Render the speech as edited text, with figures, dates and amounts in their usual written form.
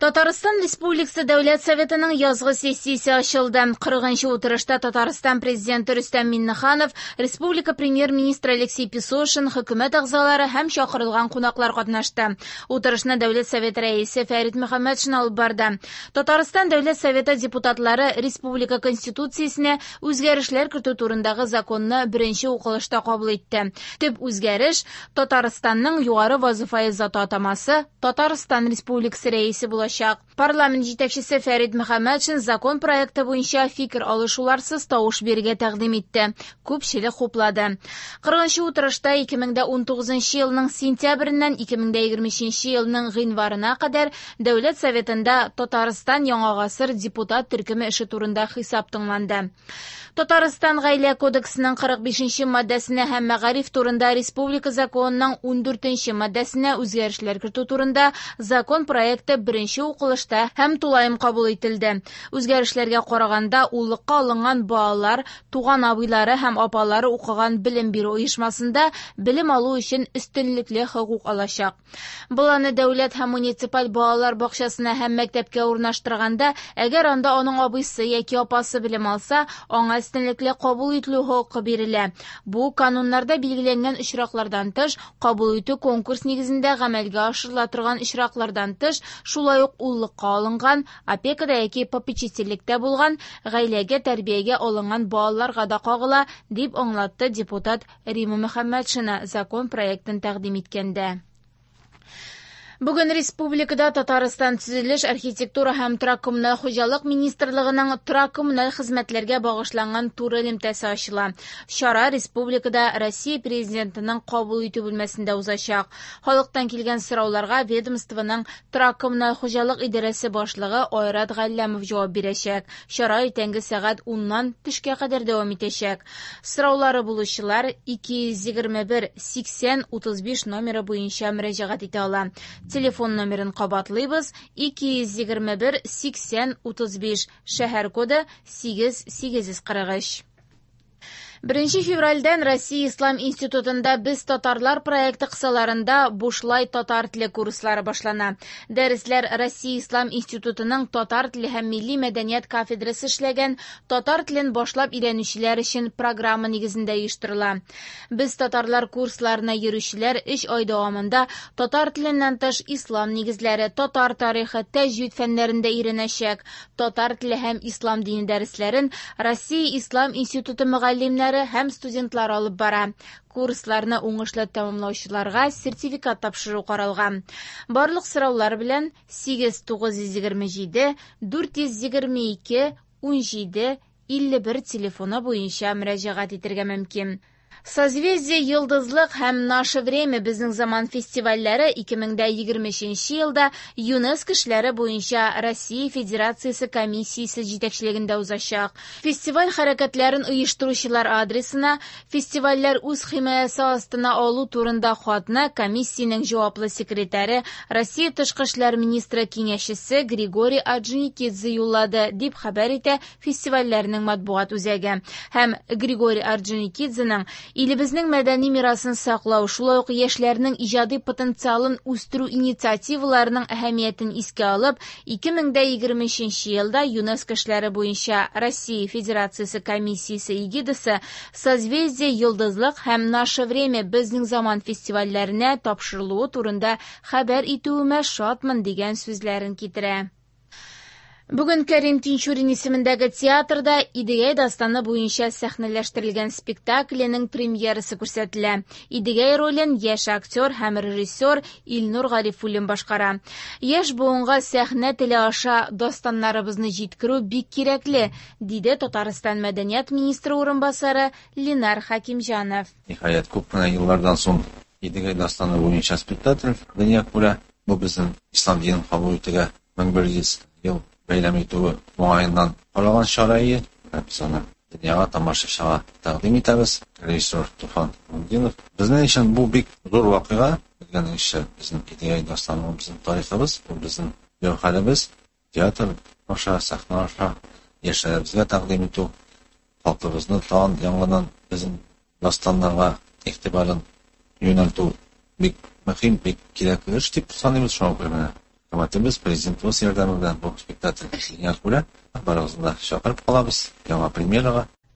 Татарстан Республикасы Дәүләт Советының язгы сессиясе ачылды. 40 утырышта Татарстан Президенты Рөстәм Миңнеханов, Республика Премьер-министры Алексей Песошин, хөкүмәт әгъзалары һәм чакырылган кунаклар катнашты. Утырышны Дәүләт Советы рәисе Фәрит Мөхәммәтшин алып барды. Татарстан Дәүләт Советы депутатлары Республика Конституциясенә үзгәрешләр кертү турындагы законны беренче укылышта кабул итте. Төп үзгәреш Татарстанның югары вазыйфаи заты атамасы Татарстан Республикасы рәисе булачак. Парламент җитәкчесе Фәрит Мөхәммәтшин закон проекты буенча фикер алышуларсыз тавыш бирергә тәкъдим итте. Күпчелек хуплады. 40 утырышта 2019 елның сентябреннән 2023 елның гыйнварына кадәр Дәүләт Советында Татарстан Яңа гасыр депутат төркеме эше турында хисап тыңланды. Татарстан Гаилә кодексының 45 маддәсенә һәм мәгариф турында Республика законының 14 маддәсенә үзгәрешләр кертү турында закон проекты беренче укылышта һәм тулаем кабул ителде. Үзгәрешләргә караганда, уллыкка алынган балалар туган абыйлары һәм апалары укыган белем бирү оешмасында белем алу өчен өстенлекле хокук алачак. Баланы дәүләт һәм муниципаль балалар бакчасына һәм мәктәпкә урнаштырганда, әгәр анда аның абыйсы яки апасы белем алса, аңа өстенлекле кабул ителү хокукы бирелә. Бу кануннарда билгеләнгән очраклардан тыш, кабул итү конкурс нигезендә гамәлгә ашырыла торган очраклардан тыш, шулай ук уллыкка алынган, опекада яки попечительлектә булган, гаиләгә тәрбиягә алынган балаларга да кагыла, дип аңлатты депутат Рима Мөхәммәтшина закон проектын тәкъдим иткәндә. Бүген республикада Татарстан төзелеш, архитектура һәм торак-коммуналь хуҗалык министрлыгының торак-коммуналь хезмәтләргә багышланган туры элемтәсе ачыла. Чара республикада Россия Президентының кабул итү бүлмәсендә узачак. Халыктан килгән сорауларга ведомствоның торак-коммуналь хуҗалык идарәсе башлыгы Айрат Галләмов җавап бирәчәк. Чара иртәнге сәгать 10-нан төшкә кадәр дәвам итәчәк. Сораулары булучылар 221 80 35 номеры буенча мөрәҗәгать итә ала. Телефон номерын кабатлыйбыз: 221 80 35, шәһәр коды 8843. 1 февральдән Россия Ислам институтында Без татарлар проекты кысаларында бушлай татар теле курслары башлана. Дәресләр Россия Ислам институтының татар теле һәм милли мәдәният кафедрасы эшләгән татар телен башлап өйрәнүчеләр өчен программа нигезендә оештырыла. Без татарлар курсларына йөрүчеләр 3 ай дәвамында татар теленнән тыш ислам нигезләре, татар тарихы, тәҗвид фәннәрендә өйрәнәчәк. Татар теле һәм ислам дине дәресләрен Россия Ислам институты мөгаллимнәре һәм студентлар алып бара. Курсларны уңышлы тәмамлаучыларга сертификат тапшыру каралган. Барлык сораулар белән 8 927 422 17 51 телефоны буенча мөрәҗәгать итәргә мөмкин. Созвездие Йолдызлык һәм Наше время Безнең заман фестивальләре 2023 елда ЮНЕСКО эшләре буенча Россия Федерациясе комиссиясе җитәкчелегендә узачак. Фестиваль хәрәкәтләрен оештыручылар адресына фестивальләр үз химаясы астына алу турында хатны комиссиянең җаваплы секретаре Россия тышкы эшләр министры киңәшчесе Григорий Орджоникидзе юллады, дип хәбәр итә фестивальләрнең матбугат үзәге. Һәм Григорий Орджоникидзеның илебезнең мәдәни мирасын саклау, шулай ук яшьләрнең иҗади потенциалын үстерү инициативаларының әһәмиятен искә алып, 2023 елда ЮНЕСКО эшләре буенча Россия Федерациясе комиссиясе эгидасы Созвездие Йолдызлык һәм Наше время Безнең заман фестивальләренә тапшырылуы турында хәбәр итүемә шатмын дигән сүзләрен китерә. Бүген Кәрим Тинчурин исемендәге театрда Идегәй дастаны буенча сәхнәләштерелгән спектакленең премьерасы күрсәтелә. Идегәй ролен яшь актер һәм режиссер Илнур Гарифуллин башкара. Яшь буынга сәхнә теле аша дастаннарыбызны җиткерү бик кирәкле, диде Татарстан мәдәният министры урынбасары Ленар Хәкимҗанов. Ниһаять, күп кенә еллардан соң Идегәй дастаны буенча спектакль дөнья күрә. Бу безнең ислам динен кабул итүгә 1100 ел бәйрәм итүе уңаеннан каралган чара ие. Без аны дөньяга, тамашачыга тәкъдим итәбез. Режиссер Туфан Мундинов. Безнең өчен бу бик зур вакыйга. Белгәнегезчә, безнең Идегәй дастаны ул безнең тарихыбыз, ул безнең гәүһәребез. Театр аша, сәхнә аша яшьләребезгә тәкъдим итү, халкыбызны тагын яңадан безнең дастаннарга игътибарын юнәлтү бик мөһим, бик кирәкле эш дип саныйбыз. Шуңа күрә менә Хөкүмәтебез, президентыбыз ярдәме белән бу спектакль дөнья күрә. Барыгызны да чакырып калабыз яңа премьерага.